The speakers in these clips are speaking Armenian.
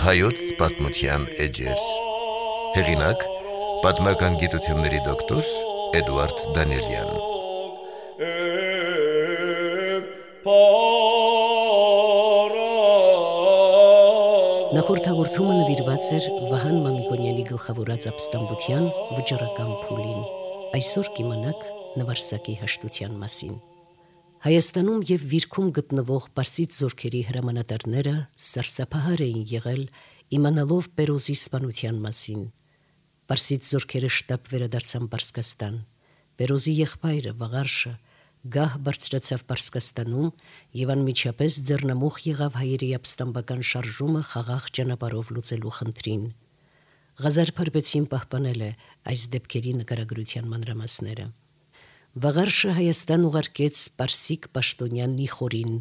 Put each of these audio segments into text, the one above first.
Հայոց պատմության էջեր։ Հեղինակ՝ պատմական գիտությունների դոկտոր Էդուարդ Դանիելյան։ Նախորդ հաղորդումը նվիրված էր Վահան Մամիկոնյանի գլխավորած ապստամբության վճռական փուլին։ Այսօր կիմանաք նվարսակի հաշտության մասին։ Հայաստանում եւ Վիրքում գտնվող պարսից զորքերի հրամանատարները սարսափահար էին եղել իմանալով Պերոզի սպանության մասին։ Պարսից զորքերը շտապ վերադարձան Պարսկաստան։ Պերոզի եղբայրը Վաղարշը գահ բարձրացավ Պարսկաստանում եւ անմիջապես ձեռնամուխ եղավ հայերի ապստամբական շարժումը խաղաղ ճանապարհով լուծելու խնդրին։ Ղազար Փարպեցին պահպանել է այս դեպքերի նկարագրության մանրամասները։ Վաղարշը Հայաստան ուղարկեց պարսիկ պաշտոնյան Նիխորին,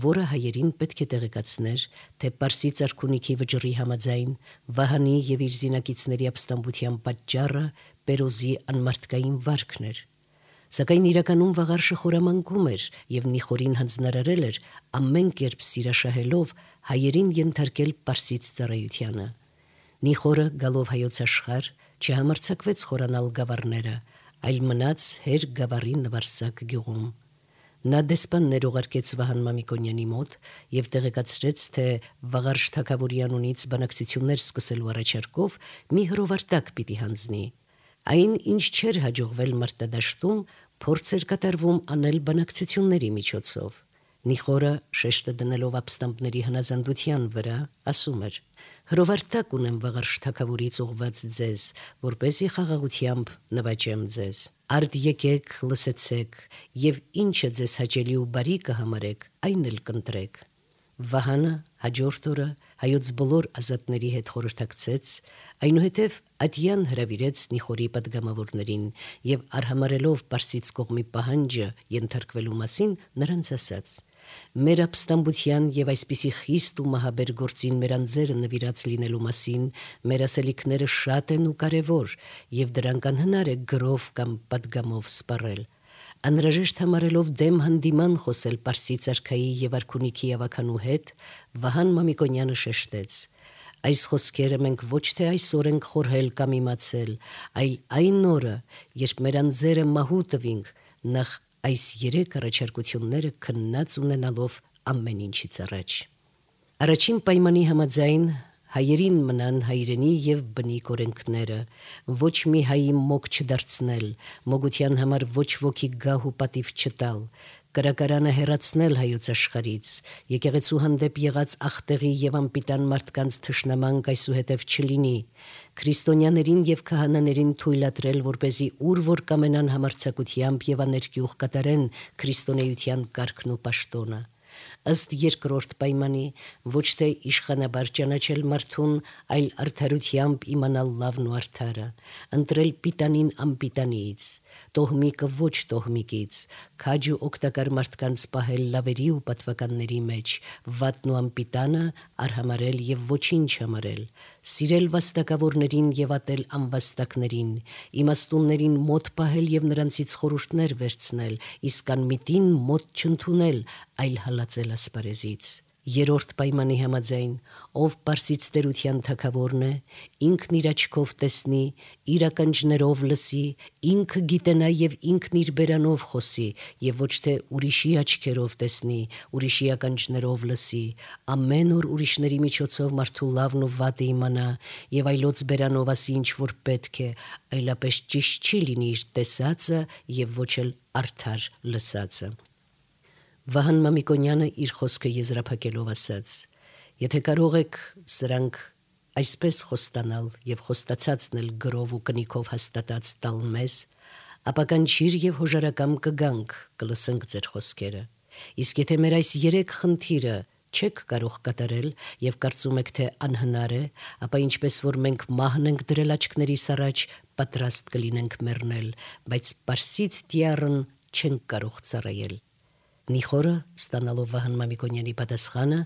որը հայերին պետք է տեղեկացներ, թե պարսից արքունիքի վճռի համաձայն Վահանի եւ իր զինակիցների ապստամբության պատճառը Պերոզի անմարդկային վարքն էր։ Սակայն իրականում Վաղարշը խորամանկում էր եւ Նիխորին հանձնարարել էր ամեն կերպ սիրաշահելով հայերին ենթարկել պարսից ծառայությանը։ Նիխորը գալով հայոց աշխարհ չհամարձակվեց խորանալ գավառները, այլ մնաց հեր գավառի Նվարսակ գյուղում։ Նա դեսպաններ ուղարկեց Վահան Մամիկոնյանի մոտ եւ տեղեկացրեց, թե Վաղարշ թագավորի անունից բանակցություններ սկսելու առաջարկով մի հրովարտակ պիտի հանձնի։ Այն, ինչ չէր հաջողվել մարտադաշտում, փորձ էր կատարվում անել բանակցությունների միջոցով։ Նիխորը շեշտը դնելով ապստամբների հնազանդության վրա, ասում էր. «Հրովարտակ ունեմ Վաղարշ թագավորից ուղված ձեզ, որպեսզի խաղաղությամբ նվաճեմ ձեզ։ Արդ եկեք, լսեցեք, եւ ինչը ձեզ հաճելի ու բարի կհամարեք, այն էլ կընտրեք»։ Վահանը հաջորդ օրը հայոց բոլոր ազատների հետ խորհրդակցեց, այնուհետև ատյան հրավիրեց Նիխորի պատգամավորներին եւ արհամարելով պարսից կողմի պահանջը ենթարկվելու մասին նրանց ասաց. «Մեր ապստամբության եւ այսպիսի խիստ ու մահաբեր գործին մեր անձերը նվիրած լինելու մասին մեր ասելիքները շատ են ու կարեւոր եւ դրանք անհնար է գրով կամ պատգամով սպառել։ Անհրաժեշտ համարելով դեմ հանդիման խոսել պարսից արքայի եւ արքունիքի ավականու հետ, Վահան Մամիկոնյանը շեշտեց. «Այս խոսքերը մենք ոչ թե այսօր ենք խորհել կամ իմացել, այլ այն օրը, երբ մեր անձերը մահու տվինք, նախ այս 3 առաջարկությունները քննած ունենալով ամեն ինչից առաջ»։ Առաջին պայմանի համաձայն հայերին մնան հայրենի եւ բնիկ օրենքները, ոչ մի հայի մոգ չդարձնել, մոգության համար ոչ ոքի գահ ու պատիվ չտալ, կրակարանը հեռացնել հայոց աշխարից, եկեղեցու հանդեպ եղած ախտեղի եւ անպիտան մարդկանց թշնամանք այսուհետև չլինի, քրիստոնյաներին եւ քահանաներին թույլատրել, որպեսզի ուր որ կամենան համարձակությամբ եւ աներկյուղ կատարեն քրիստոնեության կարգն ու պաշտոնը։ Ըստ երկրորդ պայմանի ոչ թե իշխանաբար ճանաչել մարդուն, այլ արդարությամբ իմանալ լավն ու արդարը, ընտրել պիտանին անպիտանիից, տոհմիկը ոչ տոհմիկից, քաջ ու օգտակար մարդկանց պահել լավերի ու պատվականների մեջ, վատն ու անպիտանը արհամարել եւ ոչինչ համարել, սիրել վաստակավորներին եւ ատել անվաստակներին, իմաստուններին մոտ պահել եւ նրանցից խորհուրդներ վերցնել, իսկ անմիտին մոտ չընդունել, այլ հալածել ասպարեզից։ Երրորդ պայմանի համաձայն, ով պարսից տերության թագավորն է, ինքն իր աչքով տեսնի, իր ականջներով լսի, ինքը գիտենա եւ ինքն իր բերանով խոսի եւ ոչ թե ուրիշի աչքերով տեսնի, ուրիշի ականջներով լսի, ամեն օր ուրիշների միջոցով մարդու լավն ու վատը իմանա եւ այլոց բերանով ասի ինչ որ պետք է, այլապես ճիշտ չի լինի իր տեսածը եւ ոչ էլ արդար լսածը։ Վահան Մամիկոնյանը իր խոսքը եզրափակելով ասաց. «Եթե կարող եք սրանք այսպես խոստանալ եւ խոստացածն էլ գրով ու կնիքով հաստատած տալ մեզ, ապա կանչիր եւ հոժարակամ կգանք, կլսենք ձեր խոսքերը։ Իսկ եթե մեր այս 3 խնդիրը չեք կարող կատարել եւ կարծում եք թե անհնար է, ապա ինչպես որ մենք մահն ենք դրել աչքներիս առաջ, պատրաստ կլինենք մեռնել, բայց պարսից տիառն չենք կարող ծառայել»։ Նիխորը, ստանալով Վահան Մամիկոնյանի պատասխանը,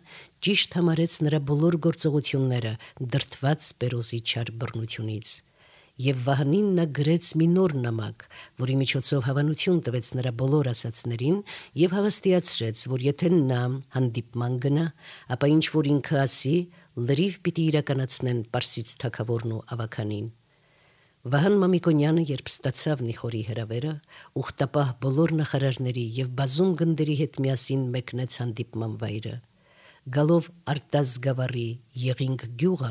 ճիշտ համարեց նրա բոլոր գործողությունները, դրդված Պերոզի չար բռնությունից։ Եվ Վահանին նա գրեց մի նոր նամակ, որի միջոցով հավանություն տվեց նրա բոլոր ասածներին եւ հավաստիացրեց, որ եթե նա հանդիպման գնա, ապա ինչ որ ինքը ասի, լրիվ պիտի իրականացնեն Պարսից թագավորն ու ավականին։ Վահան Մամիկոնյանը, երբ ստացավ Նիխորի հրավերը, ուխտապահ բոլոր նախարարների եւ բազում գնդերի հետ միասին մեկնեց հանդիպման վայրը։ Գալով Արտազգավառի Եղինգ գյուղը,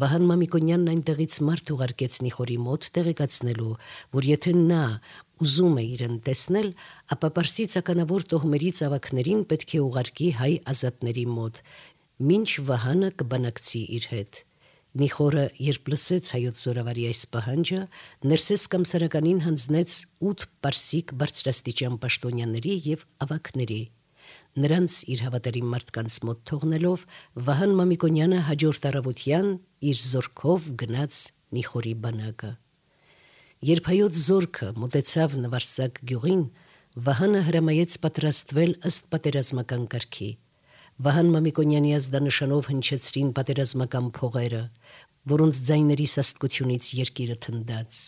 Վահան Մամիկոնյանն այնտեղից մարդ ուղարկեց Նիխորի մոտ տեղեկացնելու, որ եթե նա ուզում է իրեն տեսնել, ապա Պարսից ականավոր տոհմերից ավակներին պետք է ուղարկի հայ ազատների մոտ, մինչ Վահանը կբանակցի իր հետ։ Նիխորը, երբ լսեց հայոց զորավարի այս պահանջը, Ներսես Կամսարականին հանձնեց 8 պարսիկ բարձրաստիճան պաշտոնյաների եւ ավակների։ Նրանց իր հավատարիմ մարդկանց մոտ թողնելով, Վահան Մամիկոնյանը հաջորդ առավոտյան իր զորքով գնաց Նիխորի բանակը։ Երբ հայոց զորքը մոտեցավ Նվարսակ գյուղին, Վահանը հրամայեց պատրաստվել ըստ պատերազմական կարգի։ Վահան Մամիկոնյանի ազդանշանով հնչեցրին պատերազմական փողերը, որոնց ձայների սաստկությունից երկիրը թնդաց։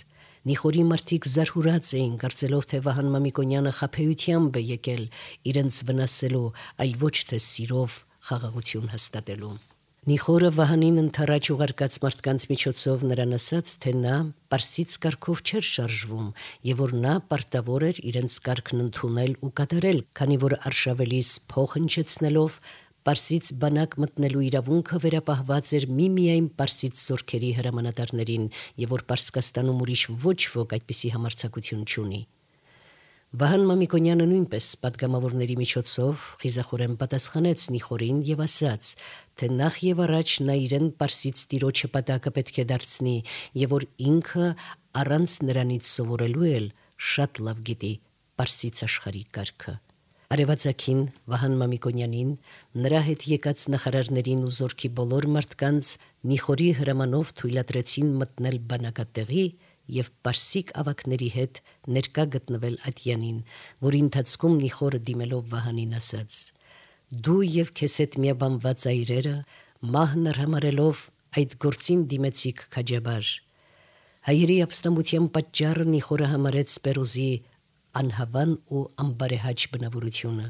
Նիխորի մարդիկ զարհուրած էին, կարծելով, թե Վահան Մամիկոնյանը խաբեությամբ է եկել իրենց վնասելու, այլ ոչ թե սիրով խաղաղություն հաստատելու։ Նիխորը Վահանին ընթառաջ ուղարկած մարդկանց միջոցով նրան ասաց, թե նա Պարսից կարգով չէր շարժվում եւ որ նա պարտավոր էր իրենց կարգն ընդունել ու կատարել, քանի որ արշավելիս փող հնչեցնելով Պարսից բանակ մտնելու իրավունքը վերապահված էր միմիայն Պարսից զորքերի հրամանատարներին եւ որ Պարսկաստանում ուրիշ ոչ ոք այդպիսի համարձակություն չունի։ Վահան Մամիկոնյանը նույնպես պատգամավորների միջոցով խիզախորեն պատասխանեց Նիխորին եւ ասաց, թե նախ եւ առաջ նա իրեն Պարսից տիրոջը պատակը պետք է դարձնի եւ որ ինքը առանց նրանից սովորելու էլ շատ լավ գիտի Պարսից աշխարհի կարգը։ Արևածագին Վահան Մամիկոնյանին, նրա հետ եկած նախարարներին ու զորքի բոլոր մարդկանց Նիխորի հրամանով թույլատրեցին մտնել բանակատեղի եւ Պարսիկ ավակների հետ ներկա գտնվել Ատյանին, որի ընթացքում Նիխորը դիմելով Վահանին ասաց. «Դու եւ քեզ հետ միաբանված այրերը մահն արհամարելով այդ գործին դիմեցիք քաջաբար»։ Հայերի ապստամբության պատճառը Նիխորը համարեց Պերոզի անհավան ու անբարեհաճ բնավորությունը,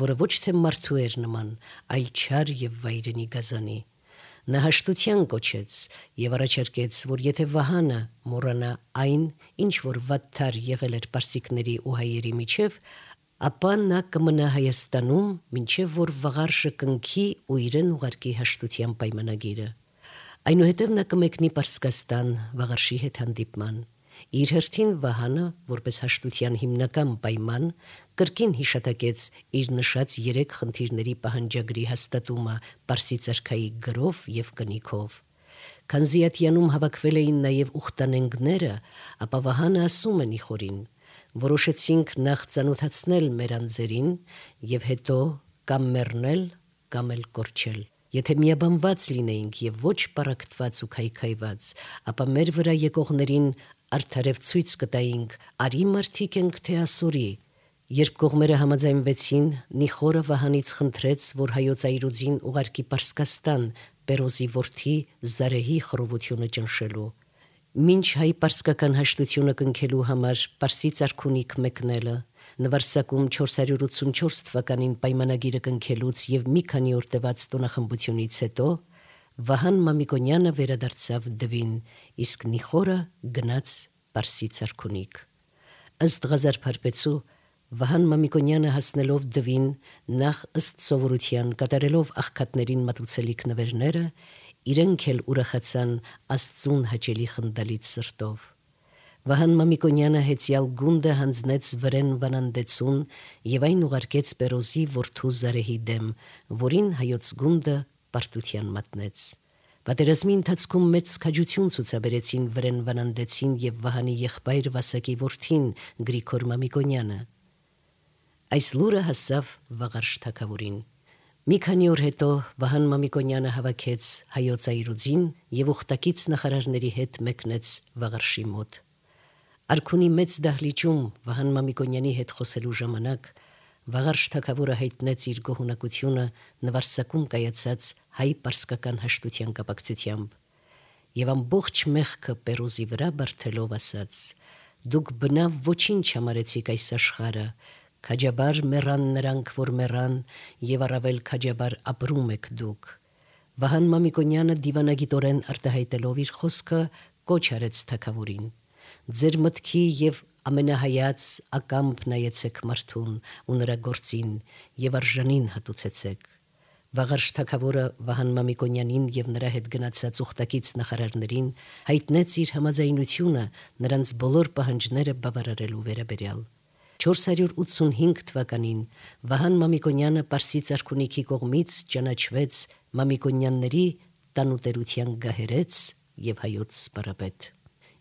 որը ոչ թե մարդու էր նման, այլ չար եւ վայրենի գազանի։ Նա հաշտության կոչեց եւ առաջարկեց, որ եթե Վահանը մոռանա այն, ինչ որ վատթար եղել էր պարսիկների ու հայերի միջև, ապա նա կմնա Հայաստանում, մինչև որ վաղարշը կնքի ու իրեն ուղարկի հաշտության պայմանագիրը։ Այնուհետև նա կմեկնի Պարսկաստան վաղարշի հետ հանդիպման։ Իր հերթին Վահանը, որպես հաշտության հիմնական պայման, կրկին հիշատակեց իր նշած 3 խնդիրների պահանջագրի հաստատումը Պարսից արքայի գրով եւ կնիքով։ Քանզի Ատյանում հավաքվել էին նաեւ ուխտանենգները, ապա Վահանը ասում է Նիխորին. «Որոշեցինք նախ ծանոթացնել մեր անձերին եւ հետո կամ մեռնել, կամ էլ կորչել։ Եթե միաբանված լինեինք եւ ոչ պարակտված ու քայքայված, ապա մեր վրա եկողներին արդարև ցույց կտայինք, արի մարդիկ ենք թե ասորի»։ Երբ կողմերը համաձայնվեցին, Նիխորը Վահանից խնդրեց, որ հայոց այրուձին ուղարկի Պարսկաստան Պերոզի որդի Զարեհի խռովությունը ճնշելու։ Մինչ հայ պարսկական հաշտությունը կնքելու համար Պարսից արքունիք մեկնելը, Նվարսակում 484 թվականին պայմանագիրը կնքելուց եւ մի քանի օր տևած տոնախմբությունից հետո Վահան Մամիկոնյանը վերադարձավ Դվին, իսկ Նիխորը գնաց Պարսից արքունիք։ Ըստ Ղազար Փարպեցու, Վահան Մամիկոնյանը հասնելով Դվին, նախ ըստ սովորության կատարելով աղքատներին մատուցելիք նվերները, իրենք էլ ուրախացան Աստծուն հաճելի խնդալից սրտով։ Վահան Մամիկոնյանը հեծյալ գունդը հանձնեց վրեն Վանանդեցուն եւ այն ուղարկեց Պերոզի որդու Զարեհի դեմ, որին հայոց գունդը պարտության մատնեց։ Պատերազմի ընթացքում մեծ քաջություն ցուցաբերեցին վրեն Վանանդեցին եւ Վահանի եղբայր Վասակի որդին Գրիգոր Մամիկոնյանը։ Այս լուրը հասավ Վաղարշ թագավորին։ Մի քանի օր հետո Վահան Մամիկոնյանը հավաքեց հայոց այրուձին եւ ուխտակից նախարարների հետ մեկնեց Վաղարշի մոտ։ Արքունի մեծ դահլիճում Վահան Մամիկոնյանի հետ խոսելու ժամանակ Վաղարշ թագավորը հայտնեց իր գոհունակությունը Նվարսակում կայացած հայ պարսկական հաշտության կապակցությամբ։ եւ ամբողջ մեղքը Պերոզի վրա բարձելով ասաց. «Դուք բնավ ոչինչ համարեցիք այս աշխարհը, քաջաբար մեռան նրանք, որ մեռան, եւ առավել քաջաբար ապրում եք դուք»։ Վահան Մամիկոնյանը դիվանագիտորեն արտահայտելով իր խոսքը կոչ արեց թագավորին. «Ձեր մտքի եւ ամենահայաց ակամբ նայեցեք մարդուն ու նրա գործին եւ արժանին հատուցեցեք»։ Վաղարշ թագավորը Վահան Մամիկոնյանին եւ նրա հետ գնացած ուխտակից նախարարներին հայտնեց իր համաձայնությունը նրանց բոլոր պահանջները բավարարելու վերաբերյալ։ 485 թվականին Վահան Մամիկոնյանը Պարսից արքունիքի կողմից ճանաչվեց Մամիկոնյանների տանուտերության գահերեց եւ հայոց սպարապետ։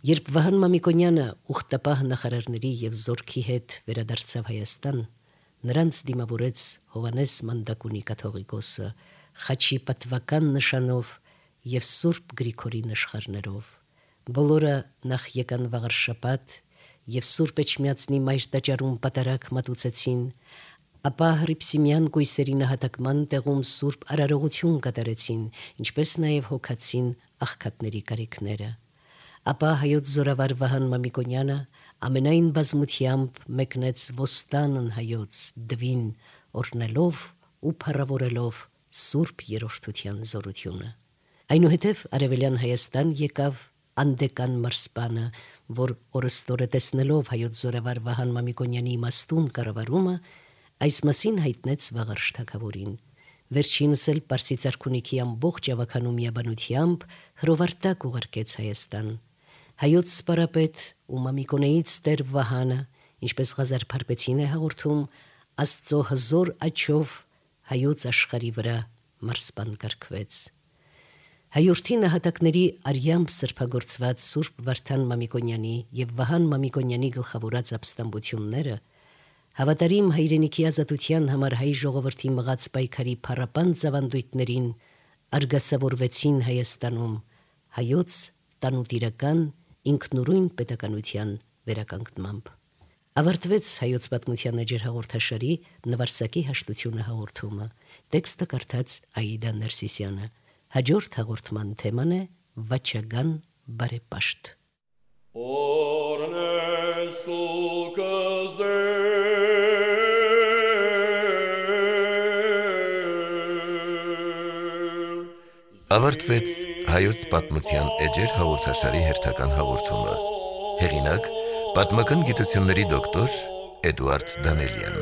Երբ Վահան Մամիկոնյանը ուխտապահ նախարարների եւ զորքի հետ վերադարձավ Հայաստան, նրանց դիմավորեց Հովանես Մանդակունի կաթողիկոսը խաչի պատվական նշանով եւ Սուրբ Գրիգորի նշխարներով։ Բոլորը նախ եկան վաղարշաբաթ եւ Սուրբ Էջմիածնի մայր տաճարում պատարագ մատուցեցին, ապա Հռիփսիմյան կույսերի նահատակման տեղում Սուրբ արարողություն կատարեցին, ինչպես նաեւ հոգացին աղքատների կարիքները։ Ապա հայոց զորավար Վահան Մամիկոնյանը ամենայն բազմությամբ մեկնեց ոստանն հայոց դվին, օրհնելով ու փառավորելով Սուրբ Երրորդության զորությունը։ Այնուհետև Արևելյան Հայաստան եկավ Անդեկան մարսպանը, որ օրստորը տեսնելով հայոց զորավար Վահան Մամիկոնյանի իմաստուն կառավարումը, այս մասին հայտնեց Վաղարշ թագավորին։ Վերջինս էլ Պարսից արքունիքի ամբողջ ավականու միաբանությամբ հրովարտակ ուղարկեց Հայաստան։ Հայոց սպարապետ ու Մամիկոնեից Տեր Վահանը, ինչպես Ղազար Փարպեցին է հաղորդում, Աստծո հզոր աչով հայոց աշխարհի վրա մարսպան կարգվեց։ Հայորդի նահատակների արյամբ սրբագործված Սուրբ Վարդան Մամիկոնյանի եւ Վահան Մամիկոնյանի գլխավորած ապստամբությունները հավատարիմ հայրենիքի ազատության համար հայ ժողովրդի մղած պայքարի փառապան ծավանդույթներին արգասավորվեցին Հայաստանում հայոց տանուտիրական ինքնուրույն պետականության վերականգնմամբ։ Ավարտվեց հայոց պատմության էջեր հաղորդաշարի նվարսակի հաշտությունը հաղորդումը։ Տեքստը կարդաց Աիդա Ներսիսյանը։ Հաջորդ հաղորդման թեման է Վաչագան բարեպաշտ։ Ավարտվեց հայոց պատմության էջեր հաղորդաշարի հերթական հաղորդումը։ Հեղինակ պատմական գիտությունների դոկտոր Էդուարդ Դանելյան։